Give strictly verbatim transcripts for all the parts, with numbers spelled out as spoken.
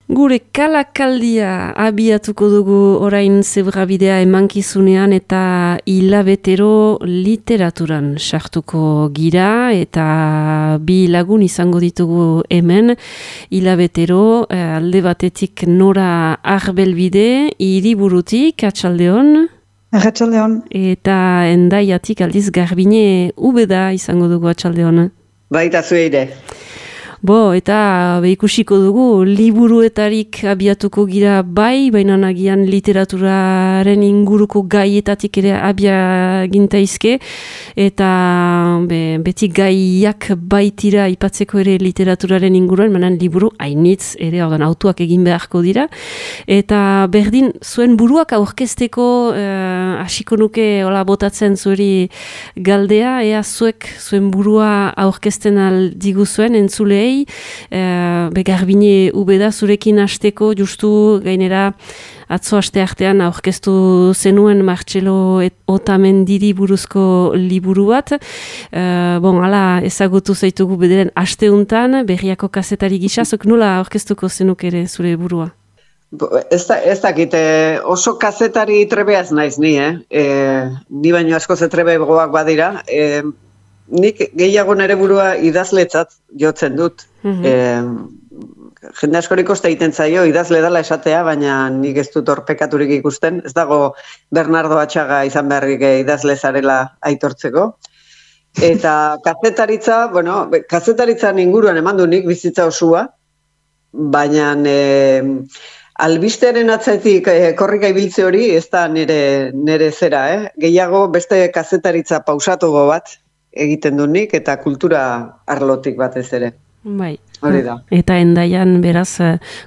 Gure kalakaldia abiatuko dugu orain zebrabidea emankizunean eta hilabetero literaturan sartuko gira eta bi lagun izango ditugu hemen hilabetero alde batetik Nora Arbelbide hiriburutik Atxaldeon. Atxaldeon. Eta Endaiatik aldiz Garbine Ubeda izango dugu Atxaldeon. Baita zueire. Bo, eta ikusiko dugu, liburuetarik abiatuko gira bai, baina nagian literaturaren inguruko gaietatik ere abia gintaizke, eta be, beti gaiak baitira ipatzeko ere literaturaren inguruan, manan liburu hainitz ere ordan autoak egin beharko dira, eta berdin zuen buruak aurkezteko eh, hasiko nuke hola botatzen zuri galdea, ea zuek zuen burua aurkezten aldigu zuen entzulei, Uh, Garbine Ubeda zurekin hasteko justu gainera atzo aste artean aurkeztu zenuen Martxelo Otamendiri buruzko liburu bat. Uh, bon, ala ezagutu zaitugu bederen asteuntan, berriako kazetari gisazok nola aurkeztuko zenuk ere zure burua? Ez da, ez dakit, oso kazetari trebeaz naiz ni, eh? E, ni baino asko zetrebe goak badira, e, nik gehiago nere burua idazletzat jotzen dut. Mm-hmm. E, jende askorik oste egiten zaio idazle dela esatea, baina nik ez dut horpekaturik ikusten. Ez dago Bernardo Atxaga izan beharrik idazle zarela aitortzeko. Eta kazetaritza, bueno, kazetaritzan inguruan eman du nik bizitza osua, baina e, albistearen atzetik e, korrika ibiltze hori ez da nire, nire zera, eh? Gehiago beste kazetaritza pausatugo bat egiten du nik eta kultura arlotik batez ere. Bai. Hori da. Eta Endaian beraz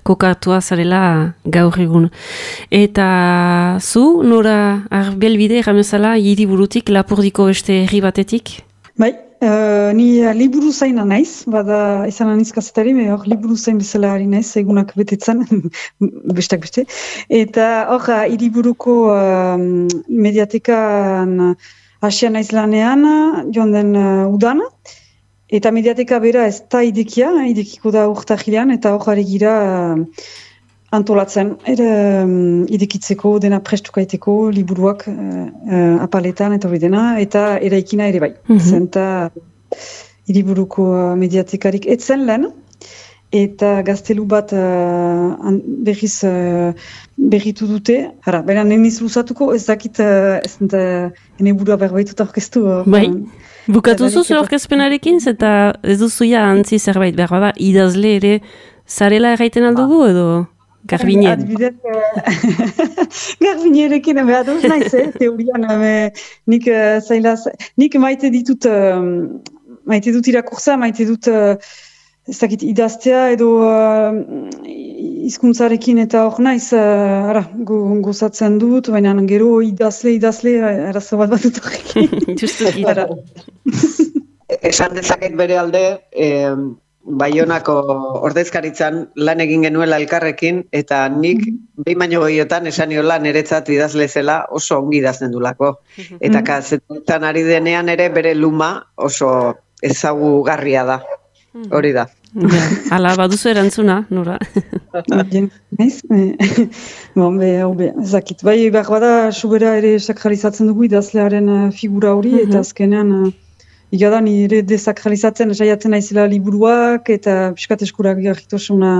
kokatua zarela gaur egun. Eta zu, Nora Arbelbide erramezala hiriburutik Lapurdiko beste herri batetik? Bai, uh, ni uh, liburu zaina naiz, bada izan aniz kazetari, hor liburu zain bezala ari naiz, egunak betetzen, bestak beste. Eta hor, hiriburuko uh, mediatekan Asia naiz lanean, joan den uh, udan, eta mediateka bera ez da idekia, idekiko da urtahilean, eta hor ari gira uh, antolatzen, ere um, idekitzeko, dena prestukaiteko, liburuak uh, uh, apaletan, eta hori dena, eta eraikina ere bai. Mm-hmm. Zenta hiriburuko uh, mediatekarik etzen lehen, eta gaztelu bat uh, berriz uh, berritu dute. Hara, baina neniz luzatuko, ez dakit, uh, ez dut, ene burua berbaitut aurkeztu. Uh, bai, bukatu zuzue aurkezpenarekin, eta ez duzuia antzi zerbait behar bada, idazle ere zarela erraiten aldugu edo Garbine? Adibidez, Garbinerekin behar duz naiz, eh? Teorian, eh, nik, uh, zailaz, nik maite ditut, uh, maite dut irakurza, maite dut uh, ez dakit idaztea edo uh, hizkuntzarekin eta hor naiz uh, ara, go, gozatzen dut, baina gero idazle, idazle, arazo bat bat dut horrekin. Justuki. Esan dezaket bere alde, eh, Baionako ordezkaritzan lan egin genuela elkarrekin, eta nik mm-hmm. behin baino goiotan esan niola niretzat idazle zela oso ongi idazten dulako. Mm-hmm. Eta kazetan ari denean ere bere luma oso ezagugarria da. Hori da. Ja, ala baduzu erantzuna, Nora. Naiz, bon, be, be, ezakit. Bai, behar bada, sobera ere sakralizatzen dugu idazlearen figura hori, mm-hmm. eta azkenean, igada nire desakralizatzen saiatzen naizela liburuak, eta piskat eskurak garritosuna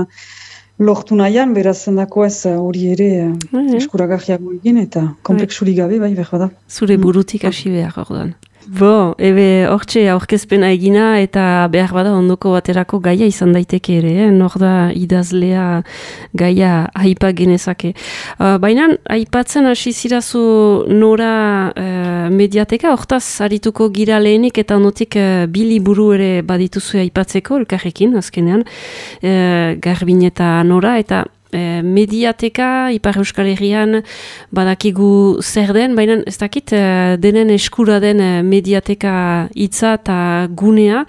lortu nahian, beraz zendako ez hori ere mm-hmm. eskurak garriago egin, eta kompleksurik gabe, bai, behar bada. Zure burutik hasi behar orduan. Bo, ebe hortxe aurkezpena egina eta behar bada ondoko baterako gaia izan daiteke ere, eh? Nor da idazlea gaia aipa genezake. Uh, Baina aipatzen hasi zirazu Nora uh, mediateka, hortaz arituko gira lehenik eta ondotik uh, bi liburu ere badituzu aipatzeko elkarrekin azkenean, uh, Garbine eta Nora, eta mediateka, Ipar Euskal Herrian badakigu zer den, baina ez dakit denen eskura den mediateka hitza eta gunea,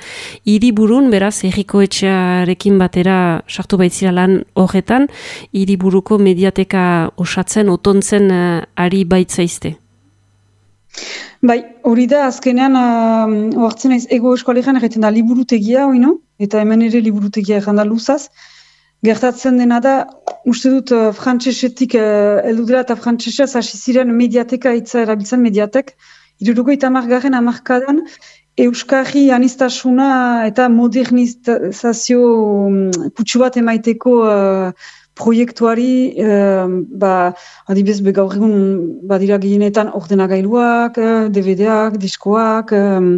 hiriburun beraz herriko etxearekin batera sartu baitzira lan horretan, hiriburuko mediateka osatzen, otontzen ari baitzaizte. Bai, hori da, azkenean, uh, oartzen naiz, ego eskualean egiten da liburutegia, oino? Eta hemen ere liburutegia egin da luzaz. gertatzen dena da, uste dut uh, frantsesetik uh, heldu dela eta frantsesez hasi ziren mediateka hitza erabiltzen mediatek, hirurogeita hamargarren hamarkadan euskarri aniztasuna eta modernizazio um, kutsu bat emaiteko uh, proiektuari, uh, ba, adibidez gaur egun badira gehienetan ordenagailuak, uh, D V D-ak, diskoak, um,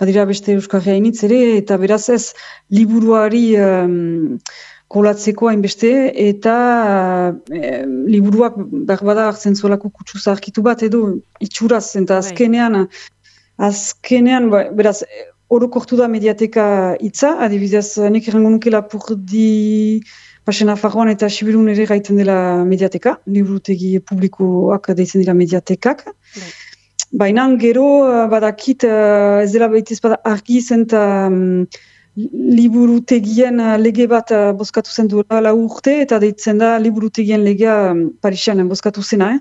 badira beste euskarri hainitz ere, eta beraz ez liburuari um, kolatzeko hainbeste, eta e, liburuak berbada hartzen zuelako kutsu zaharkitu bat edo itxuraz, eta azkenean, azkenean, ba, beraz, orokortu da mediateka hitza, adibidez, nik errango nuke Lapurdi, Pasen Nafarroan eta Sibirun ere gaiten dela mediateka, liburutegi publikoak deitzen dira mediatekak. Bai. Baina gero, badakit, ez dela behitez bada argi zen eta um, liburutegien lege bat uh, bozkatu zen duela lau urte, eta deitzen da liburutegien legea um, Parisian bozkatu zena, eh?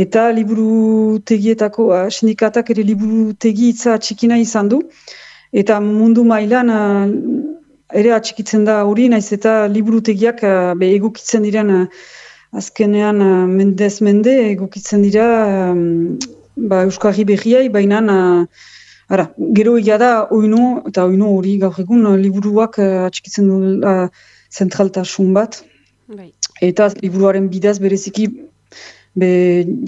Eta liburutegietako uh, sindikatak ere liburutegi hitza txikina izan du, eta mundu mailan uh, ere atxikitzen da hori, naiz eta liburutegiak uh, be egokitzen diren uh, azkenean uh, mendez mende egokitzen dira um, ba, euskarri berriai, baina uh, Ara, gero egia da, oino, eta oino hori gaur egun, liburuak uh, atxikitzen du uh, zentraltasun bat. Bai. Eta liburuaren bidaz bereziki be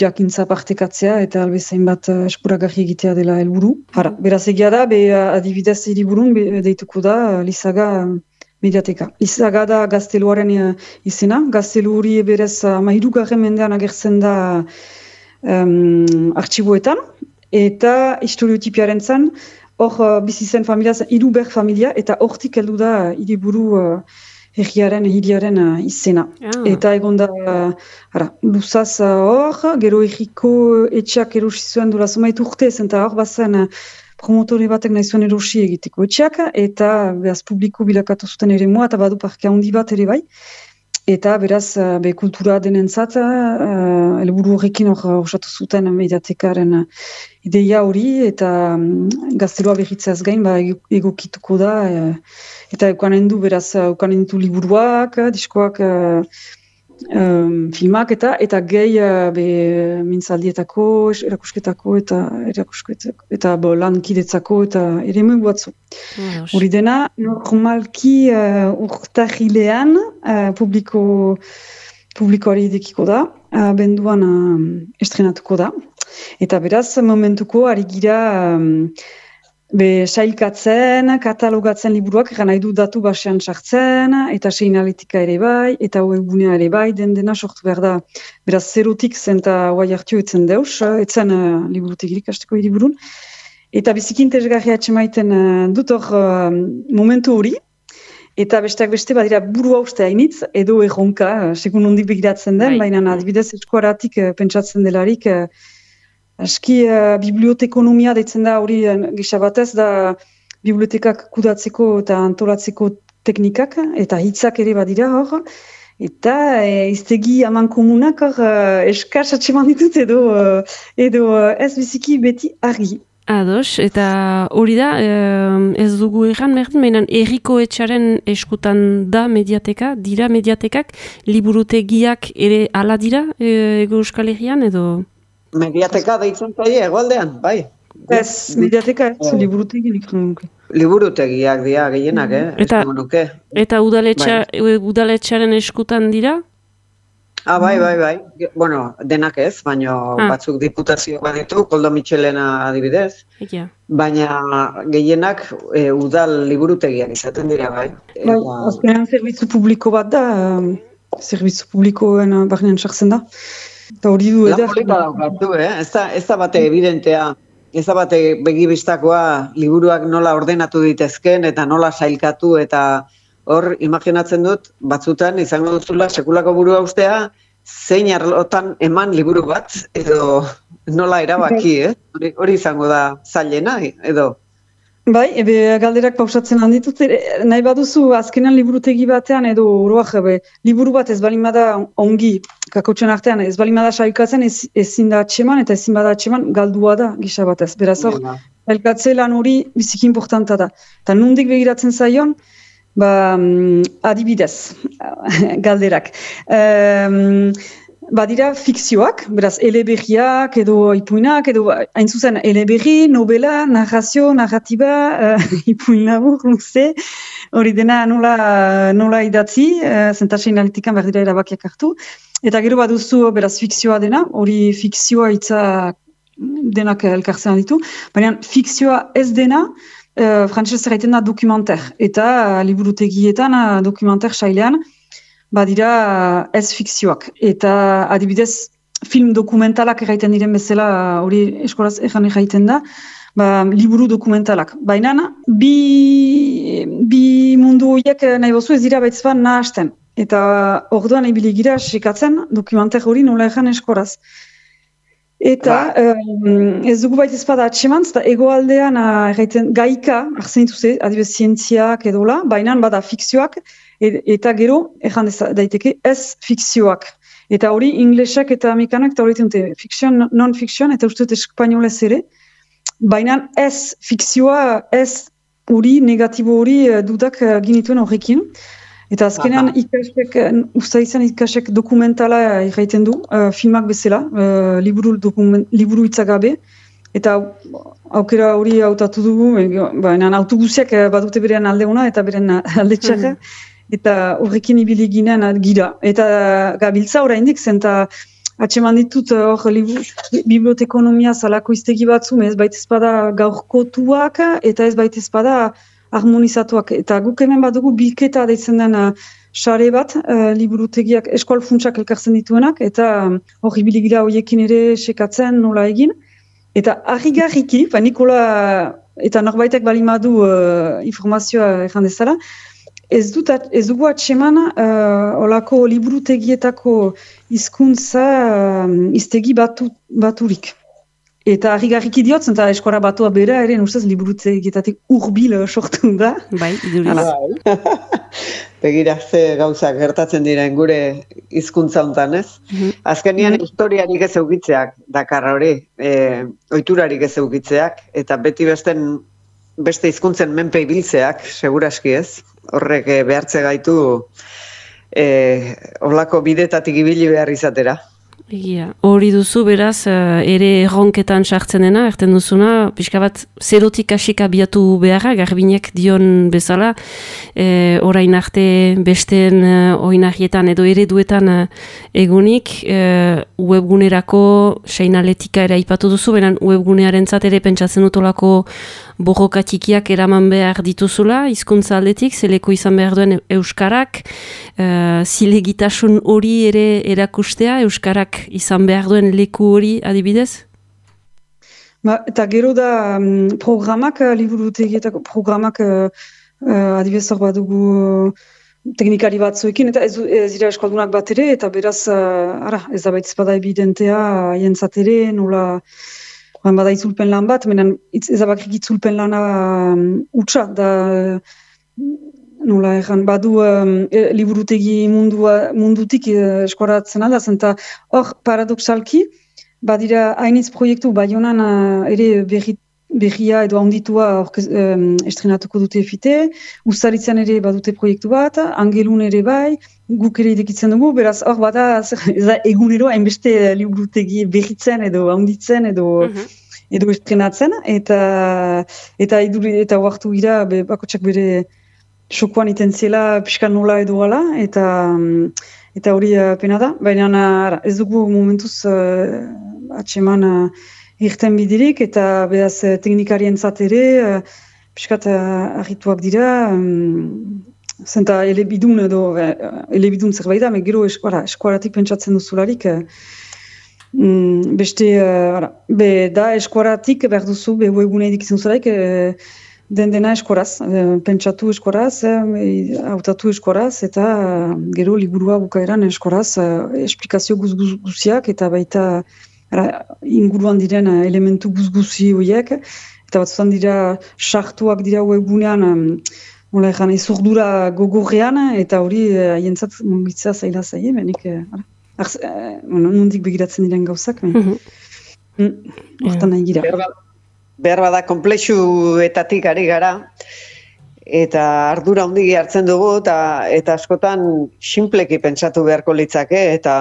jakintza partekatzea eta albezain bat uh, eskuragarri egitea dela helburu. Ara, beraz egia da, be adibidez liburun be, deituko da uh, Lizaga uh, mediateka. Lizaga da gazteluaren uh, izena, gaztelu hori berez uh, hirugarren mendean agertzen da um, artxiboetan, eta historiotipiaren zan, hor uh, bizi zen familia, hiru ber familia, eta hortik heldu da uh, hiriburu uh, herriaren, hiriaren uh, izena. Ah. Eta egon da, uh, ara, luzaz hor, uh, gero herriko etxeak erosi zuen dura zomait urtez, eta hor bazen uh, promotore batek nahi zuen erosi egiteko etxeak, eta behaz publiko bilakatu zuten ere moa, eta badu parke handi bat ere bai. Eta beraz, be kultura denentzat, uh, helburu horrekin hor osatu zuten mediatekaren ideia hori, eta um, gaztelua berritzeaz gain, ba, egokituko da, uh, eta eukanen du, beraz, eukanen ditu liburuak, diskoak, uh, um, filmak, eta eta gehi uh, be, mintzaldietako, erakusketako, eta erakusketako, eta bo, lankidetzako, eta ere megu batzu. Hori dena, normalki uh, urtahilean uh, publiko, publikoari idekiko da, uh, benduan uh, estrenatuko da. Eta beraz, momentuko ari gira um, be sailkatzen, katalogatzen liburuak, eran nahi du datu basean sartzen, eta seinaletika ere bai, eta webgunea ere bai, den dena sortu behar da. Beraz, zerotik zen eta guai hartio etzen deus, etzen uh, liburutegirik hasteko hiriburun. Eta bizikin interesgarria atxemaiten uh, dut hor uh, momentu hori, eta besteak beste badira buru hauste hainitz, edo erronka, uh, segun ondik begiratzen den, baina adibidez eskuaratik uh, pentsatzen delarik, uh, aski uh, bibliotekonomia deitzen da hori uh, gisa batez, da bibliotekak kudatzeko eta antolatzeko teknikak, eta hitzak ere badira hor, eta e, iztegi aman komunak hor uh, eskaz atxeman ditut edo, uh, edo uh, ez biziki beti argi. Ados, eta hori da, ez dugu erran, mehden, erriko etxaren eskutan da mediateka, dira mediatekak, liburutegiak ere ala dira, Ego Euskal Herrian, edo? Mediateka deitzen zaie, egoaldean, bai. Ez, mediateka ez, liburutegi nik nuke. Liburutegiak dira gehienak, eh? Eta, eta udaletxa, bai. Udaletxaren eskutan dira? Ah, bai, bai, bai. Bueno, denak ez, baina ah. batzuk diputazioak baditu, Koldo Mitxelena adibidez. Ja. Baina gehienak e, udal liburutegiak izaten dira, bai. Bai, azkenean zerbitzu publiko bat da, zerbitzu publikoen barnean sartzen da. Eta hori du eder. Lan polita daukatu, eh? Ez da, ez da bate evidentea, ez da bate begibistakoa liburuak nola ordenatu ditezken eta nola sailkatu eta hor, imaginatzen dut, batzutan izango duzula sekulako burua ustea, zein arlotan eman liburu bat, edo nola erabaki, eh? Hori, hori izango da zailena, edo? Bai, ebe galderak pausatzen handitut, nahi baduzu azkenan liburutegi batean, edo oroak, ebe, liburu bat ez balin bada ongi, kakotxen artean, ez balin bada sailkatzen, ez, ezin da atxeman, eta ezin bada atxeman, galdua da, gisa batez. Beraz hor, sailkatze lan hori biziki importanta da. Eta nondik begiratzen zaion, Ba, um, adibidez, galderak. Um, Badira fikzioak, beraz, eleberriak edo ipuinak, edo hain zuzen eleberri, novela, narrazio, narratiba, uh, ipuin labur, luze, hori dena nola, nola idatzi, uh, zentasein analitikan behar dira erabakiak hartu. Eta gero baduzu, beraz, fikzioa dena, hori fikzioa itza denak elkartzen ditu, baina fikzioa ez dena, uh, frantzez erraiten da dokumenter, eta uh, liburutegietan uh, dokumenter sailean, badira ez fikzioak. Eta adibidez, film dokumentalak erraiten diren bezala, hori eskolaz erran erraiten da, ba, liburu dokumentalak. Baina, bi, bi mundu horiek nahi bozu ez dira baitzban nahasten. Eta orduan ibili gira sekatzen dokumenter hori nola erran eskolaz. Eta um, ez dugu baita ezpada atxemantz, eta egoaldean erraiten gaika, arzen dituze, adibidez zientziak edola, baina bada fikzioak, eta gero, erran daiteke, ez fikzioak. Eta hori, inglesak eta amerikanak, eta hori dute, fikzion, non-fikzion, eta uste dut espainolez ere, baina ez fikzioa, ez hori, negatibo hori dudak ginituen horrekin. Eta azkenean ikasek, usta izan ikasek dokumentala erraiten du, uh, filmak bezala, uh, liburu, dokument, liburu itzagabe, eta aukera hori hautatu dugu, baina autobusiak badute berean aldeuna eta beren alde txarra, eta horrekin ibili ginen gira. Eta gabiltza oraindik zen, eta atxeman ditut hor bibliotekonomia zalako iztegi batzu, ez baita ezpada gaurkotuak, eta ez baita ezpada harmonizatuak. Eta guk hemen badugu bilketa deitzen den sare bat, uh, liburutegiak eskual funtsak elkartzen dituenak, eta hor ibili gira horiekin ere sekatzen nola egin. Eta harrigarriki, ba Nikola, eta norbaitek balimadu uh, informazioa erran dezala, Ez, dut, ez dugu atseman uh, olako liburutegietako hizkuntza uh, iztegi batu, baturik. Eta harrigarriki diot, eta eskora batua bera ere, ustez liburutegietatik urbil sortu da. Bai, iduriz. Begira, ze gauzak gertatzen diren gure hizkuntza hontan, ez? Mm-hmm. Azkenian mm-hmm. historiarik ez eukitzeak, dakar hori, e, ohiturarik ez eukitzeak, eta beti besten beste hizkuntzen menpe ibiltzeak, seguraski ez? Horrek behartze gaitu eh, olako bidetatik ibili behar izatera. Egia, hori duzu beraz, ere erronketan sartzen dena, erten duzuna, pixka bat zerotik hasik abiatu beharra, garbinek dion bezala, e, orain arte besteen e, oinarrietan edo ereduetan e, egunik, e, webgunerako seinaletika ere aipatu duzu, benen webgunearen ere pentsatzen utolako borroka txikiak eraman behar dituzula, hizkuntza aldetik, zeleko izan behar duen euskarak, e, zilegitasun hori ere erakustea, euskarak izan behar duen leku hori adibidez? Ba, eta gero da um, programak, liburutegietako programak uh, uh, adibidez hor bat dugu uh, teknikari batzuekin, eta ez, ez dira eskaldunak bat ere, eta beraz, uh, ara, ez da baitz bada evidentea, jentzat ere, nola, oan bada itzulpen lan bat, menen ez da bakrik itzulpen lana um, utxa, da nola erran, badu um, e, liburutegi mundua, mundutik e, eskoratzen alda, zenta hor paradoxalki, badira hainitz proiektu Baionan uh, ere berri, berria edo handitua um, estrenatuko dute efite, Uztaritzen ere badute proiektu bat, Angelun ere bai, guk ere idekitzen dugu, beraz hor bada ez da egunero hainbeste liburutegi berritzen edo handitzen edo mm-hmm. edo estrenatzen, eta eta iduri, eta huartu gira be, bakotxak bere xokoan iten zela pixkan nola edo gala, eta eta hori uh, pena da, baina uh, ez dugu momentuz uh, atseman uh, irten bidirik, eta behaz uh, teknikarien zatere, uh, pixkat uh, arrituak dira, um, zenta elebidun edo, uh, elebidun zerbait da, me gero eskuara, eskuaratik pentsatzen duzularik, uh, um, beste, uh, be da eskuaratik behar duzu, be webune edikitzen zularik, uh, den dena eskoraz, pentsatu eskoraz, hautatu eskoraz, eta gero liburua bukaeran eskoraz, esplikazio guz-guziak, eta baita ara, inguruan diren elementu guz-guzi horiek, eta batzutan dira sartuak dira webgunean, nola ezan, ezurdura gogorrean, eta hori haientzat mugitzea zaila zaie, menik, nondik begiratzen diren gauzak, hortan nahi gira. Behar bada komplexuetatik ari gara, eta ardura handigi hartzen dugu, eta, eta askotan sinpleki pentsatu beharko litzake, eta,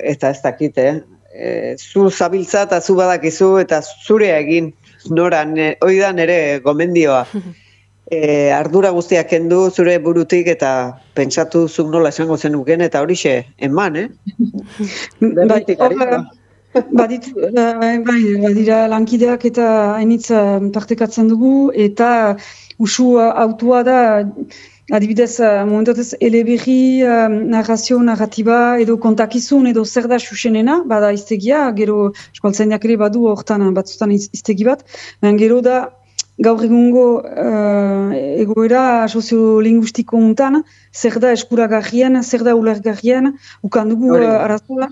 eta ez dakit, eh? E, zu zabiltza eta zu badakizu, eta zure egin, noran, hori da nire gomendioa. E, ardura guztiak kendu zure burutik eta pentsatu zuk nola esango zenuken eta horixe eman, eh? Bai, badit, bai, badira lankideak eta hainitz partekatzen dugu eta usu autua da adibidez momentatez eleberri, narrazio, narratiba edo kontakizun edo zer da xuxenena, bada iztegia, gero eskualtzainak ere badu hortan batzutan iztegi bat, baina gero da gaur egungo uh, egoera soziolinguistiko untan, zer da eskuragarrien, zer da ulergarrien, ukan dugu uh, arazoa,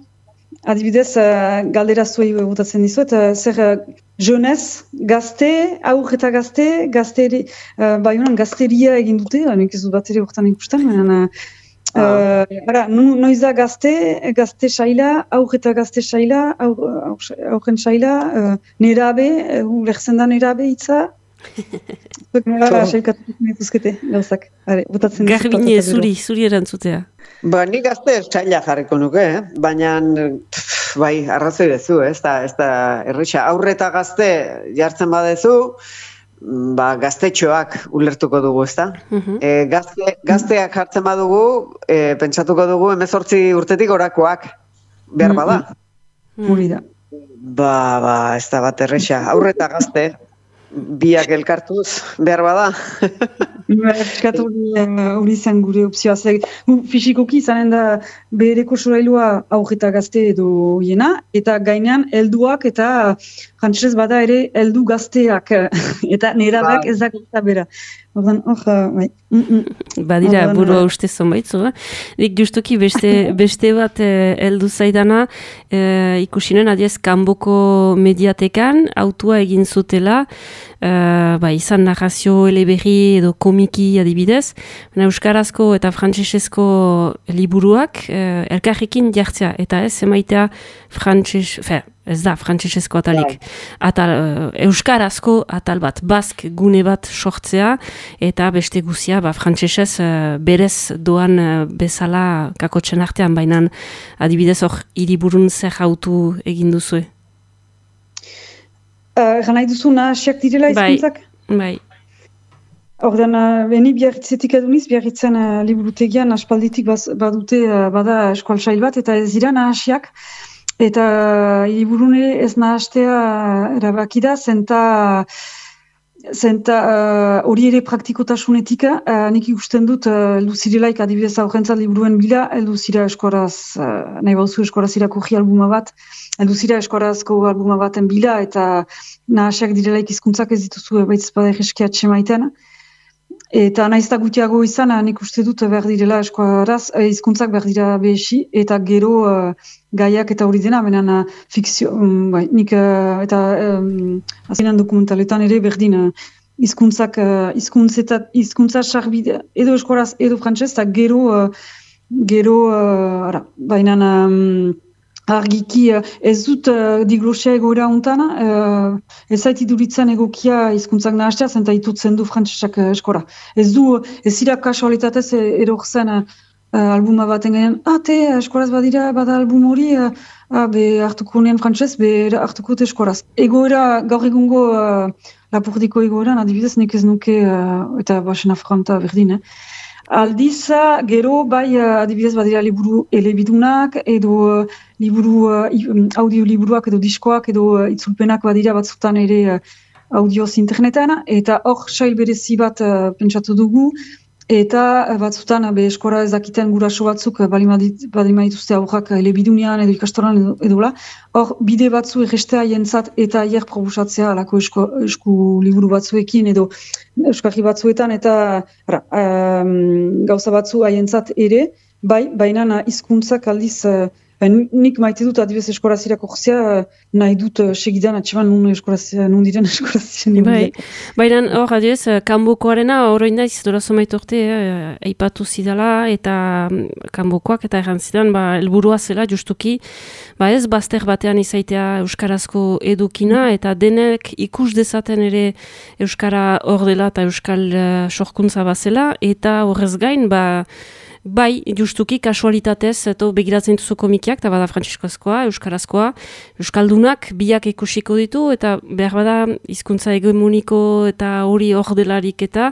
adibidez, uh, galdera zuei botatzen dizuet, uh, zer uh, jeunez, gazte, aur eta gazte, gazteri, uh, bai honan gazteria egin dute, nik ez dut bat ere hortan ikusten, baina, uh, ara, noiz da gazte, gazte saila, aur eta gazte saila, aurren saila, uh, nerabe, uh, ulertzen da nerabe itza, Garbine, zuri, zuri erantzutea. Ba, nik gazte txaila jarriko nuke, eh? Baina, bai, arrazoi dezu, ez da, ez da, erresa, aurre eta gazte jartzen badezu, ba, gaztetxoak ulertuko dugu, ez da? Uh-huh. E, gazte, gazteak jartzen badugu, e, pentsatuko dugu, hemezortzi urtetik orakoak, behar bada. Huri da. Ba, ba, ez da bat erresa, aurre eta gazte, biak elkartuz, behar bada. Eskatu hori zen gure opzioa. Fisikoki izanen da behereko sorailua aurreta gazte edo hiena, eta gainean helduak eta frantsesez bada ere heldu gazteak, eta nerabeak ez da gazta bera. Ordan, hor, bai. Badira, burua uste zonbaitzu, eh? Nik justuki beste, beste bat heldu eh, zaidana, eh, ikusinen adiez kanboko mediatekan, autua egin zutela, eh, ba, izan narrazio eleberri edo komiki adibidez, baina euskarazko eta frantsesezko liburuak eh, elkarrekin jartzea, eta ez emaitea frantses, fe, ez da, frantsesezko atalik. Atal, uh, euskarazko atal bat, bask gune bat sortzea, eta beste guzia, ba, frantsesez uh, berez doan uh, bezala kakotzen artean, baina adibidez hor hiriburun zer hautu egin duzue? Uh, Ganai duzu nahasiak direla izkuntzak? Bai, bai. Ordan, uh, beni biarritzetik eduniz, biarritzen uh, liburutegian aspalditik baz, badute uh, bada eskual sail bat, eta ez dira nahasiak, eta hiriburune ez nahastea erabaki da, zenta zenta hori uh, ere praktikotasunetik, uh, nik ikusten dut uh, luzirelaik adibidez aurrentzat liburuen bila, luzira eskoraz, uh, nahi bauzu eskoraz irakurri albuma bat, luzira eskorazko albuma baten bila, eta nahasiak direlaik hizkuntzak ez dituzu baitz bada egeskiatxe maiten. Eta naizta gutiago izan, nik uste dut behar direla eskoraz, hizkuntzak behar dira behesi, eta gero uh, gaiak eta hori dena, benen uh, fikzio, um, bai, nik uh, eta um, azinan dokumentaletan ere berdin hizkuntzak, uh, hizkuntza sarbide, edo eskoraz, edo frantsez, eta gero, uh, gero, uh, ara, bainan, um, argiki ez dut uh, diglosia egoera untan, uh, ez zait iduritzen egokia hizkuntzak nahastea, zenta itutzen du frantsesak uh, eskora. Ez du, ez zira kasualitatez eror zen uh, albuma baten gainean, ah, te, eskoraz badira, bada album hori, uh, ah, be hartuko nien frantses, be hartuko te eskoraz. Egoera, gaur egungo uh, lapurdiko egoeran, adibidez, nik ez nuke, uh, eta basen afronta berdin, eh? Aldiz, gero, bai, adibidez badira liburu elebidunak, edo liburu, audio liburuak, edo diskoak, edo itzulpenak badira batzutan ere audioz internetan, eta hor sail berezi bat uh, pentsatu dugu, eta batzutan be eskora ez dakiten guraso batzuk balima dituzte aurrak elebidunean edo ikastoran edo, edola, hor bide batzu errestea jentzat eta hier proposatzea alako esku, esku liburu batzuekin edo euskarri batzuetan eta ara, um, gauza batzu haientzat ere, bai, baina hizkuntzak aldiz uh, Ben, nik maite dut adibes eskorazira korzia, nahi dut uh, segidan atseman nun eskorazia, nun diren eskorazia. Bai, baina hor, adibes, kanbokoarena oroin daiz, dorazo maitorte, eh, aipatu zidala, eta kanbokoak eta erran zidan, ba, helburua zela, justuki, ba ez, bazter batean izaitea euskarazko edukina, eta denek ikus dezaten ere euskara hor dela eta euskal uh, sorkuntza bazela, eta horrez gain, ba, bai, justuki, kasualitatez, eta begiratzen duzu komikiak, eta bada frantziskoazkoa, euskarazkoa, euskaldunak biak ikusiko ditu, eta behar bada hizkuntza hegemoniko eta hori hor delarik eta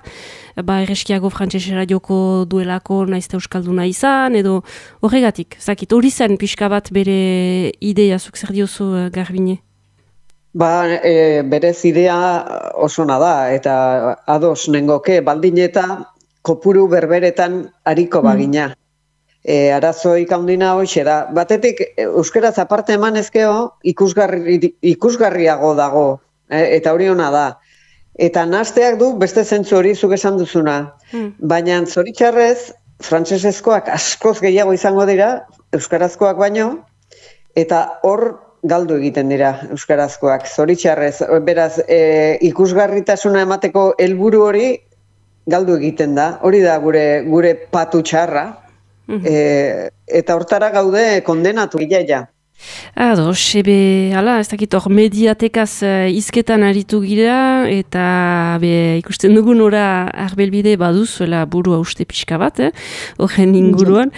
ba, erreskiago frantzesera joko duelako naizte euskalduna izan, edo horregatik, zakit, hori zen pixka bat bere ideia, zuk zer diozu uh, Garbine? Ba, e, berez idea oso da, eta ados nengoke, baldin eta kopuru berberetan hariko bagina. E, arazoik handina hoxe da. Batetik, euskaraz aparte eman ezkeo, ikusgarri, ikusgarriago dago, e, eta hori ona da. Eta nahasteak du beste zentzu hori zuk esan duzuna. Mm. Baina zoritxarrez, frantsesezkoak askoz gehiago izango dira, euskarazkoak baino, eta hor galdu egiten dira euskarazkoak. Zoritxarrez, beraz, e, ikusgarritasuna emateko helburu hori, galdu egiten da, hori da gure gure patu txarra, mm-hmm. e, eta hortara gaude kondenatu gilaia. Ados, ebe, ala, ez dakit hor mediatekaz uh, izketan aritu gira, eta be, ikusten dugun ora arbelbide baduzuela burua uste pixka bat, eh? Horren inguruan,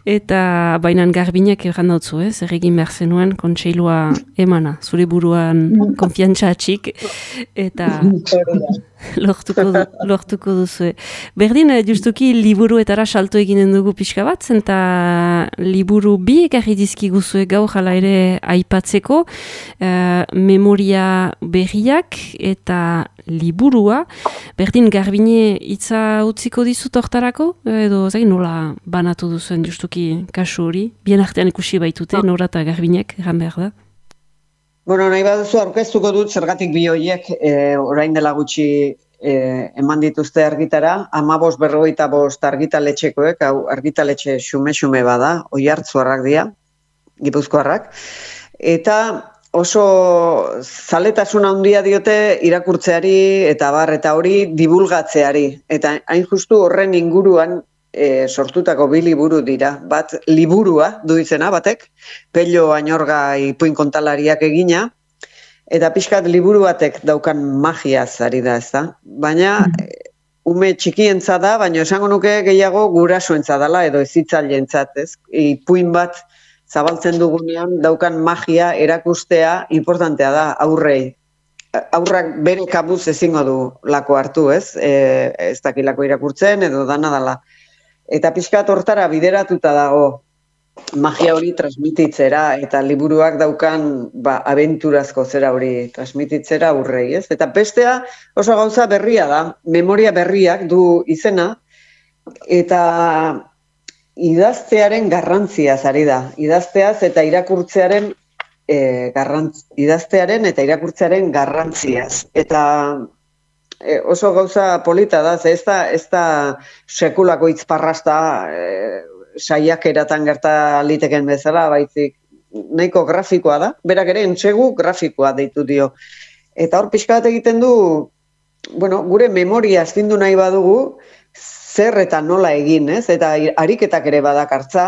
eta bainan Garbinak erran dautzu, eh? Zer egin behar zenuen, kontseilua emana, zure buruan konfiantza atxik, eta lortuko, du, lortuko duzu. Berdin, justuki liburuetara salto eginen dugu pixka bat, eta liburu bi ekarri dizkiguzue gaur jala ere aipatzeko, uh, memoria berriak eta liburua. Berdin, Garbine hitza utziko dizut hortarako, edo zai, nola banatu duzuen justuki kasu hori? Bien artean ikusi baitute, Nora eta Garbinek, egan behar da? Bueno, nahi baduzu aurkeztuko dut zergatik bi horiek e, orain dela gutxi e, eman dituzte argitara, hamabost berrogeita bost argitaletxekoek, hau argitaletxe xume-xume bada, oihartzuarrak dira, Gipuzkoarrak, eta oso zaletasun handia diote irakurtzeari eta bar eta hori divulgatzeari, eta hain justu horren inguruan e, sortutako bi liburu dira, bat liburua du izena batek, Pello Añorga ipuin kontalariak egina, eta pixkat liburu batek daukan magiaz ari da, ez da? Baina ume txikientza da, baina esango nuke gehiago gurasoentza dela edo ezitzailentzat, ez? Ipuin bat zabaltzen dugunean daukan magia erakustea importantea da aurrei. Aurrak bere kabuz ezingo du lako hartu, ez? E, ez dakilako irakurtzen edo dana dela. Eta pixkat hortara bideratuta dago magia hori transmititzera eta liburuak daukan ba, abenturazko zera hori transmititzera aurrei, ez? Eta bestea oso gauza berria da, memoria berriak du izena, eta idaztearen garrantziaz ari da. Idazteaz eta irakurtzearen e, garrantz, idaztearen eta irakurtzearen garrantziaz. Eta e, oso gauza polita da, ze ez da, ez da sekulako hitzparrasta e, saiakeratan gerta liteken bezala, baizik nahiko grafikoa da. Berak ere entsegu grafikoa deitu dio. Eta hor pixka bat egiten du, bueno, gure memoria astindu nahi badugu, zer eta nola egin, ez? Eta ariketak ere badakartza.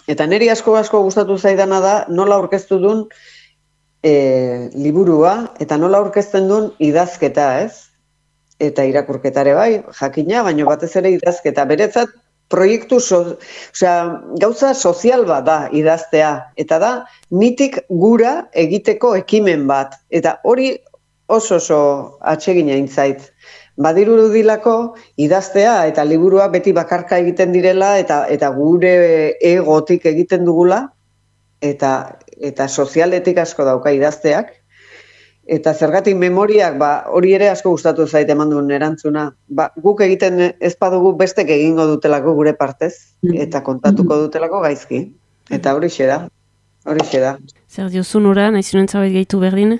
Eta niri asko asko gustatu zaidana da nola aurkeztu duen e, liburua eta nola aurkezten duen idazketa, ez? Eta irakurketare bai, jakina, baina batez ere idazketa. Beretzat proiektu, so, osea, gauza sozial bat da idaztea. Eta da, nitik gura egiteko ekimen bat. Eta hori oso oso atsegina intzait. Badiru dilako idaztea eta liburua beti bakarka egiten direla eta eta gure egotik egiten dugula eta eta sozialetik asko dauka idazteak eta zergatik memoriak ba hori ere asko gustatu zait eman duen erantzuna. Ba, guk egiten ez badugu bestek egingo dutelako gure partez eta kontatuko dutelako gaizki. Eta horixe da. Horixe da. Zer diozu Nora, nahi zinuen zabait gehitu berdin?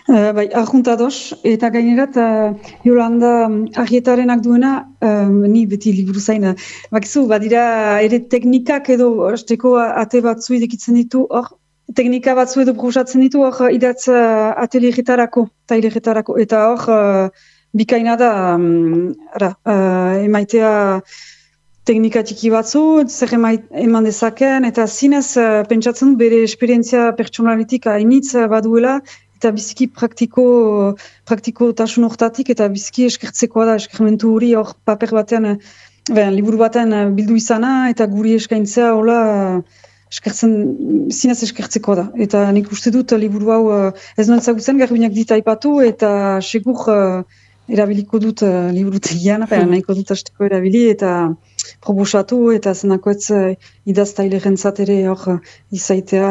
Uh, bai, arjuntados, eta gainerat, uh, Jolanda um, Arrietarenak duena, um, ni beti liburu zaina. Bakizu, badira ere teknikak edo hasteko ate batzu idekitzen ditu, hor, teknika batzu edo proposatzen ditu, hor, idatz uh, atelieretarako, taileretarako, eta hor, uh, bikaina da, um, ara, uh, emaitea teknika txiki batzu, zer emait, eman dezaken, eta zinez uh, pentsatzen bere esperientzia pertsonalitik hainitz baduela, eta biziki praktiko, praktiko tasun hortatik, eta biziki eskertzekoa da, eskermentu hori hor paper batean, ben, liburu batean bildu izana, eta guri eskaintzea, hola, eskertzen, zinez eskertzeko da. Eta nik uste dut liburu hau ez nuen zagutzen, garbinak dit aipatu, eta segur uh, erabiliko dut uh, liburutegian, hmm. nahiko dut hasteko erabili, eta proposatu, eta zenako ez uh, idaztailerentzat ere hor izaitea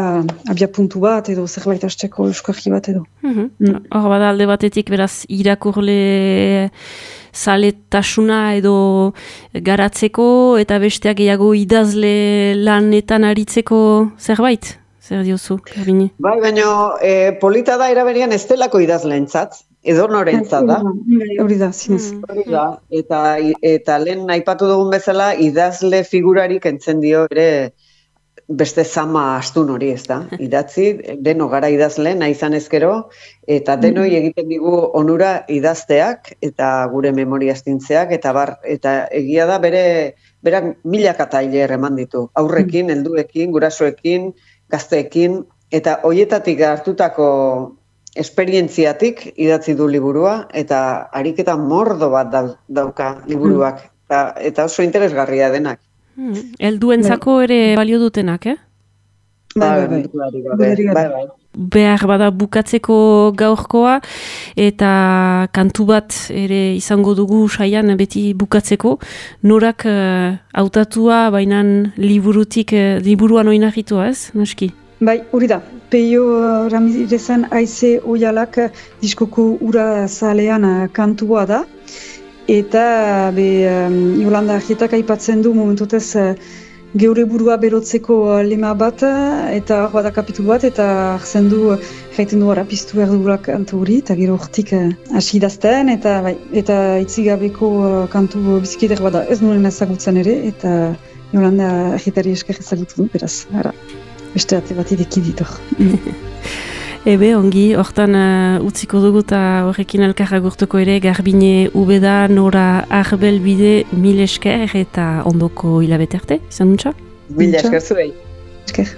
abia puntu bat, edo zerbait hasteko euskarri bat edo. Hor mm. mm. bada alde batetik, beraz, irakurle zaletasuna edo garatzeko, eta besteak gehiago idazle lanetan aritzeko zerbait? Zer diozu, Garbine? Bai, baina e, polita da eraberian ez delako idazleentzat. Edo norentzat da. Hori da, zinez. Hori da, eta, eta lehen aipatu dugun bezala, idazle figurarik entzen dio ere beste zama astun hori, ez da. Idatzi, deno gara idazle, nahi izan ezkero, eta denoi egiten digu onura idazteak, eta gure memoria astintzeak, eta bar, eta egia da bere, berak milaka tailer eman ditu. Aurrekin, helduekin, gurasoekin, gazteekin, eta hoietatik hartutako esperientziatik idatzi du liburua, eta ariketa mordo bat dauka liburuak, eta, eta oso interesgarria denak. Hmm. Elduentzako ere balio dutenak, eh? Bai, bai, bai. Behar bada bukatzeko gaurkoa, eta kantu bat ere izango dugu saian beti bukatzeko, norak hautatua uh, bainan liburutik, uh, liburuan oinarritua ez, noski? Bai, hori da. Peio Ramirezan Aize Oialak diskoko ura zalean kantua da. Eta be, um, Jolanda Arrietak aipatzen du momentotez uh, geure burua berotzeko lema bat, eta hor bada kapitulu bat, eta arzen du, jaiten du ara piztu behar dugula kantu hori, eta gero hortik hasi uh, idazten, eta, bai, eta itzigabeko uh, kantu bizikidek bada ez nuen ezagutzen ere, eta Jolanda Arrietari esker ezagutu du, beraz, ara. Beste ate bat ideki ditor. Ebe, ongi, hortan uh, utziko dugu eta horrekin elkarra gurtuko ere, Garbine Ubeda, Nora Arbelbide, mil esker eta ondoko hilabete arte, izan nuntza? Mil esker zuei. Esker.